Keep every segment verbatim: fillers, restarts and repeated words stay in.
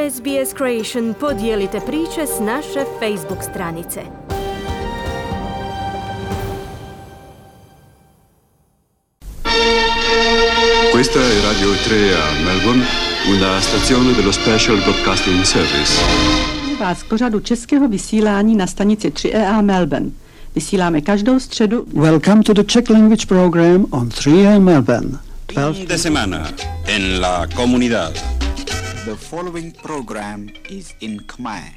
S B S Creation podijelite priče s naše Facebook stranice. Questa è Radio tre a Melbourne, una stazione dello Special Broadcasting Service. Vás k pořadu českého vysílání na stanici tři E A Melbourne. Vysíláme každou středu. Welcome to the Czech language program on three A Melbourne. Fin de semana en la comunidad. The following program is in Khmer.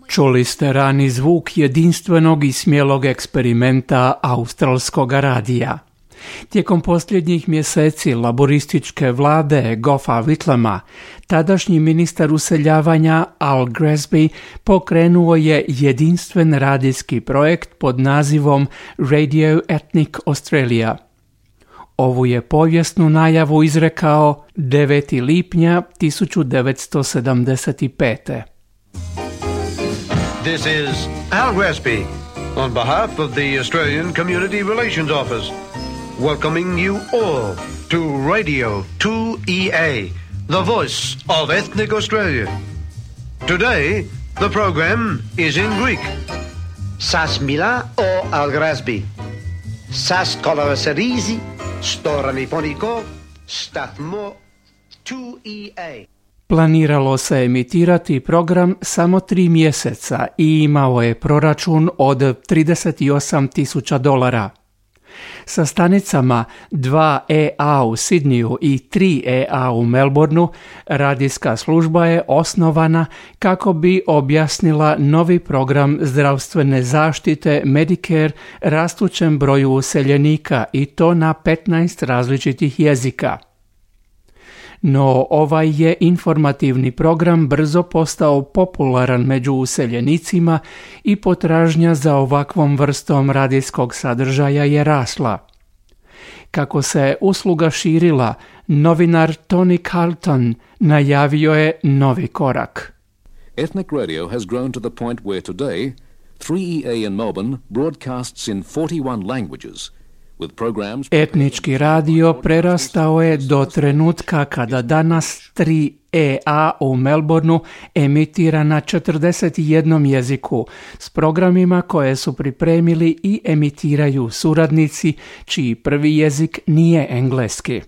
Čuli ste rani zvuk jedinstvenog i smjelog eksperimenta australskog radija. Tijekom posljednjih mjeseci laborističke vlade Goffa Whitlama, tadašnji ministar useljavanja Al Gresby pokrenuo je jedinstven radijski projekt pod nazivom Radio Ethnic Australia. Ovu je povijesnu najavu izrekao devetog lipnja tisuću devetsto sedamdeset pete. This is Al Gresby on behalf of the Australian Community Relations Office, welcoming you all to Radio two E A, the voice of ethnic Australia. Today, the program is in Greek. Σας μιλά ο Al Gresby. Σας καλωσορίζει στο ραδιοφωνικό σταθμό two E A. Planiralo se emitirati program samo tri mjeseca i imao je proračun od trideset osam tisuća dolara. Sa stanicama dva E A u Sidniju i tri E A u Melbourneu radijska služba je osnovana kako bi objasnila novi program zdravstvene zaštite Medicare rastućem broju useljenika i to na petnaest različitih jezika. No ovaj je informativni program brzo postao popularan među useljenicima i potražnja za ovakvom vrstom radijskog sadržaja je rasla. Kako se usluga širila, novinar Tony Carlton najavio je novi korak. Ethnic radio has grown to the point where today three E A in Melbourne broadcasts in forty-one languages. Etnički radio prerastao je do trenutka kada danas tri E A u Melbourneu emitira na četrdeset jednom jeziku s programima koje su pripremili i emitiraju suradnici čiji prvi jezik nije engleski.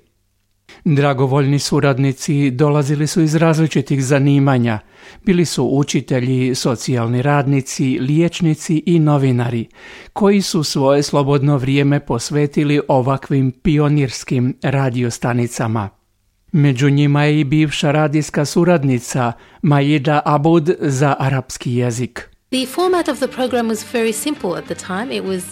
Dragovoljni suradnici dolazili su iz različitih zanimanja. Bili su učitelji, socijalni radnici, liječnici i novinari, koji su svoje slobodno vrijeme posvetili ovakvim pionirskim radiostanicama. Među njima je i bivša radijska suradnica Maida Aboud za arapski jezik. The format of the program was very simple at the time. It was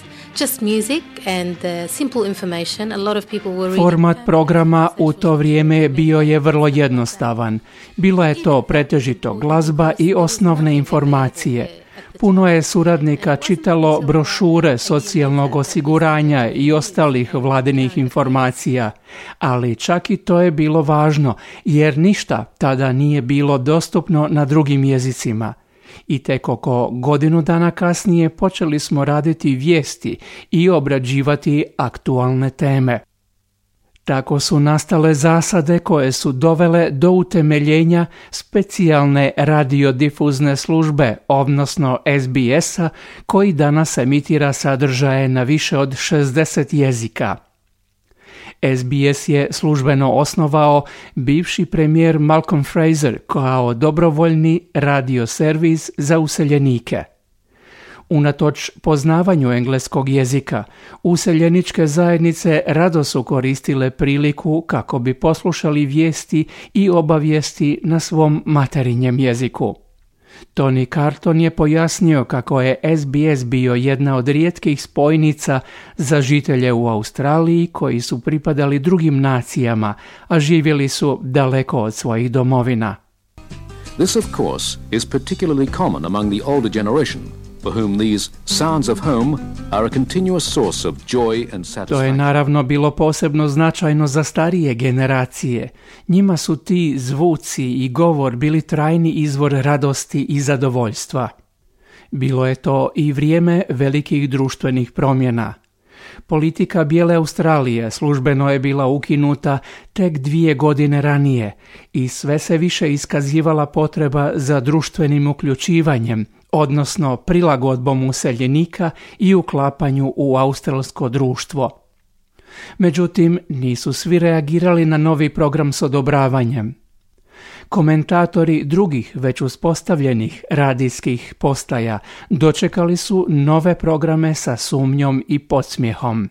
just music and uh, simple information. A lot of people were Format programa u to vrijeme bio je vrlo jednostavan. Bila je to pretežito glazba i osnovne informacije. Puno je suradnika čitalo brošure socijalnog osiguranja i ostalih vladinih informacija, ali čak i to je bilo važno, jer ništa tada nije bilo dostupno na drugim jezicima. I tek oko godinu dana kasnije počeli smo raditi vijesti i obrađivati aktualne teme. Tako su nastale zasade koje su dovele do utemeljenja specijalne radiodifuzne službe, odnosno S B S-a, koji danas emitira sadržaje na više od šezdeset jezika. S B S je službeno osnovao bivši premijer Malcolm Fraser kao dobrovoljni radio servis za useljenike. Unatoč poznavanju engleskog jezika, useljeničke zajednice rado su koristile priliku kako bi poslušali vijesti i obavijesti na svom materinjem jeziku. Tony Carlton je pojasnio kako je S B S bio jedna od rijetkih spojnica za žitelje u Australiji koji su pripadali drugim nacijama, a živjeli su daleko od svojih domovina. This, of course, is particularly common among the older generation, for whom these sounds of home are a continuous source of joy and satisfaction. To je naravno bilo posebno značajno za starije generacije. Njima su ti zvuci i govor bili trajni izvor radosti i zadovoljstva. Bilo je to i vrijeme velikih društvenih promjena. Politika Bijele Australije službeno je bila ukinuta tek dvije godine ranije i sve se više iskazivala potreba za društvenim uključivanjem, odnosno prilagodbom useljenika i uklapanju u australsko društvo. Međutim, nisu svi reagirali na novi program s odobravanjem. Komentatori drugih već uspostavljenih radijskih postaja dočekali su nove programe sa sumnjom i podsmjehom.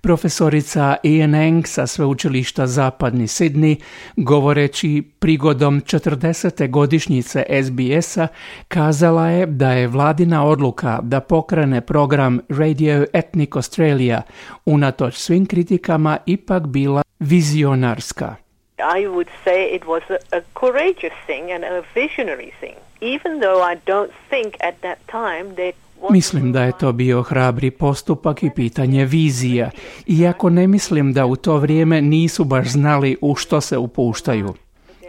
Profesorica Ian Eng sa sveučilišta Zapadni Sidney, govoreći prigodom četrdesete godišnjice S B S-a, kazala je da je vladina odluka da pokrene program Radio Ethnic Australia unatoč svim kritikama ipak bila vizionarska. I would say it was a, a courageous thing and a visionary thing, even though I don't think at that time that Mislim da je to bio hrabri postupak i pitanje vizija, iako ne mislim da u to vrijeme nisu baš znali u što se upuštaju.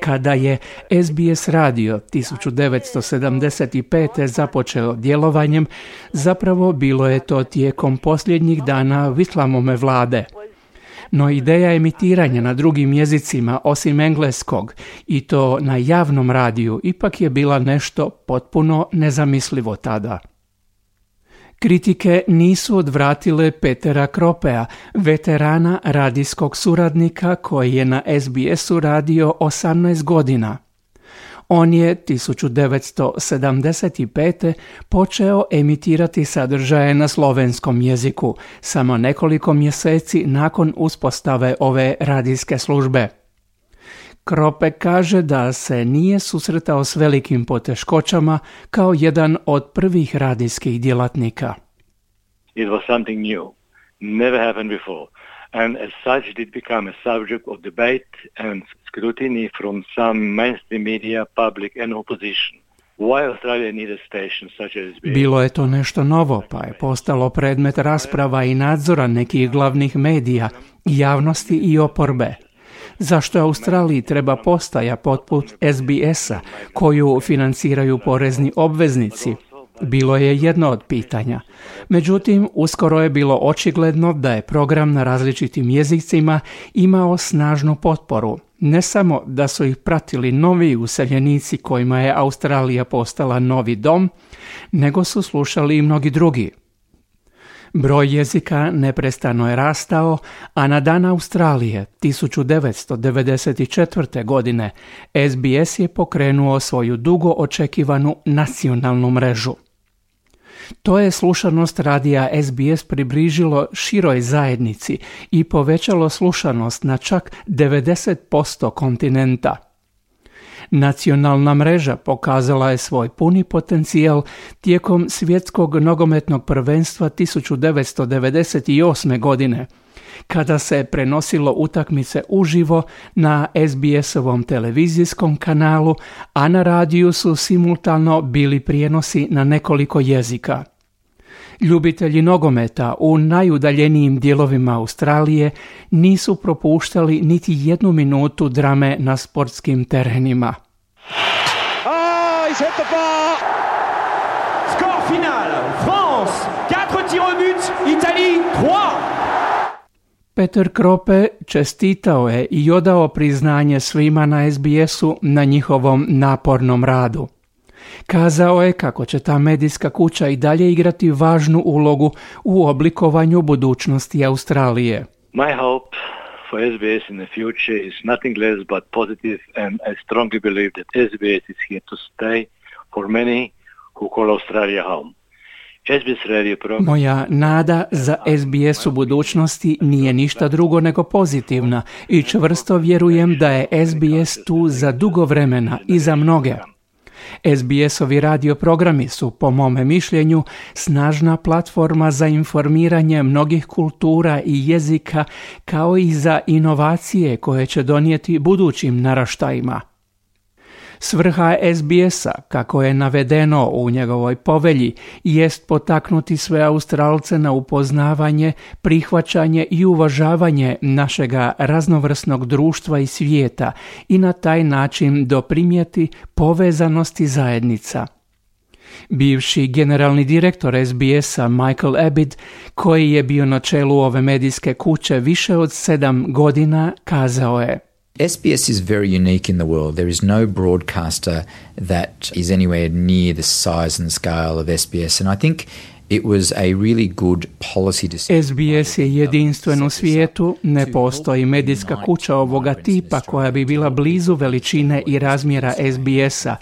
Kada je S B S radio tisuću devetsto sedamdeset pete. započeo djelovanjem, zapravo bilo je to tijekom posljednjih dana Whitlamove vlade. No ideja emitiranja na drugim jezicima osim engleskog i to na javnom radiju ipak je bila nešto potpuno nezamislivo tada. Kritike nisu odvratile Petera Kropea, veterana radijskog suradnika koji je na S B S-u radio osamnaest godina. On je tisuću devetsto sedamdeset pete. počeo emitirati sadržaje na slovenskom jeziku, samo nekoliko mjeseci nakon uspostave ove radijske službe. Krope kaže da se nije susretao s velikim poteškoćama kao jedan od prvih radijskih djelatnika. It was something new, never happened before, and as such did become a subject of debate and scrutiny from some mainstream media, public and opposition. Why Australia needed stations such as S B S? Bilo je to nešto novo, pa je postalo predmet rasprava i nadzora nekih glavnih medija, javnosti i oporbe. Zašto Australiji treba postaja poput S B S-a koju financiraju porezni obveznici? Bilo je jedno od pitanja. Međutim, uskoro je bilo očigledno da je program na različitim jezicima imao snažnu potporu. Ne samo da su ih pratili novi useljenici kojima je Australija postala novi dom, nego su slušali i mnogi drugi. Broj jezika neprestano je rastao, a na dan Australije tisuću devetsto devedeset četvrte. godine S B S je pokrenuo svoju dugo očekivanu nacionalnu mrežu. To je slušanost radija S B S približilo široj zajednici i povećalo slušanost na čak devedeset posto kontinenta. Nacionalna mreža pokazala je svoj puni potencijal tijekom svjetskog nogometnog prvenstva tisuću devetsto devedeset osme. godine, kada se prenosilo utakmice uživo na S B S-ovom televizijskom kanalu, a na radiju su simultano bili prijenosi na nekoliko jezika. Ljubitelji nogometa u najudaljenijim dijelovima Australije nisu propuštali niti jednu minutu drame na sportskim terenima. Ah, il hit the bar. Score final. France, quatre tirs au but, Italie, trois. Peter Krope čestitao je i odao priznanje svima na S B S-u na njihovom napornom radu. Kazao je kako će ta medijska kuća i dalje igrati važnu ulogu u oblikovanju budućnosti Australije. My hope for S B S in the future is nothing less but positive, and I strongly believe that S B S is here to stay for many who call Australia home. S B S radio program... Moja nada za S B S u budućnosti nije ništa drugo nego pozitivna i čvrsto vjerujem da je S B S tu za dugo vremena i za mnoge. S B S-ovi radio programi su, po mome mišljenju, snažna platforma za informiranje mnogih kultura i jezika, kao i za inovacije koje će donijeti budućim naraštajima. Svrha S B S-a, kako je navedeno u njegovoj povelji, jest potaknuti sve Australce na upoznavanje, prihvaćanje i uvažavanje našega raznovrsnog društva i svijeta i na taj način doprinijeti povezanosti zajednica. Bivši generalni direktor S B S-a Michael Abbott, koji je bio na čelu ove medijske kuće više od sedam godina, kazao je: S B S is very unique in the world. There is no broadcaster that is anywhere near the size and scale of S B S, and I think it was a really good policy decision. S B S je jedinstven u svijetu, ne postoji medijska kuća ovoga tipa koja bi bila blizu veličine i razmjera S B S-a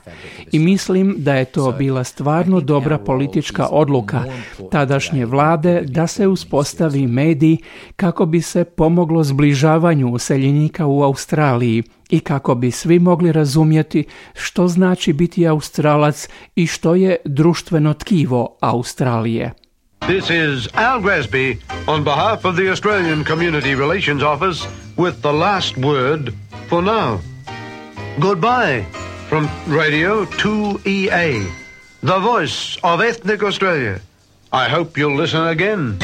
i mislim da je to bila stvarno dobra politička odluka tadašnje vlade da se uspostavi medij kako bi se pomoglo zbližavanju useljenika u Australiji i kako bi svi mogli razumjeti što znači biti Australac i što je društveno tkivo Australije. This is Al Gresby on behalf of the Australian Community Relations Office with the last word for now. Goodbye from Radio two E A, the voice of ethnic Australia. I hope you'll listen again.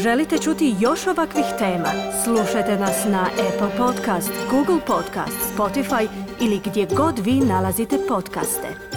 Želite čuti još ovakvih tema? Slušajte nas na Apple Podcast, Google Podcast, Spotify ili gdje god vi nalazite podcaste.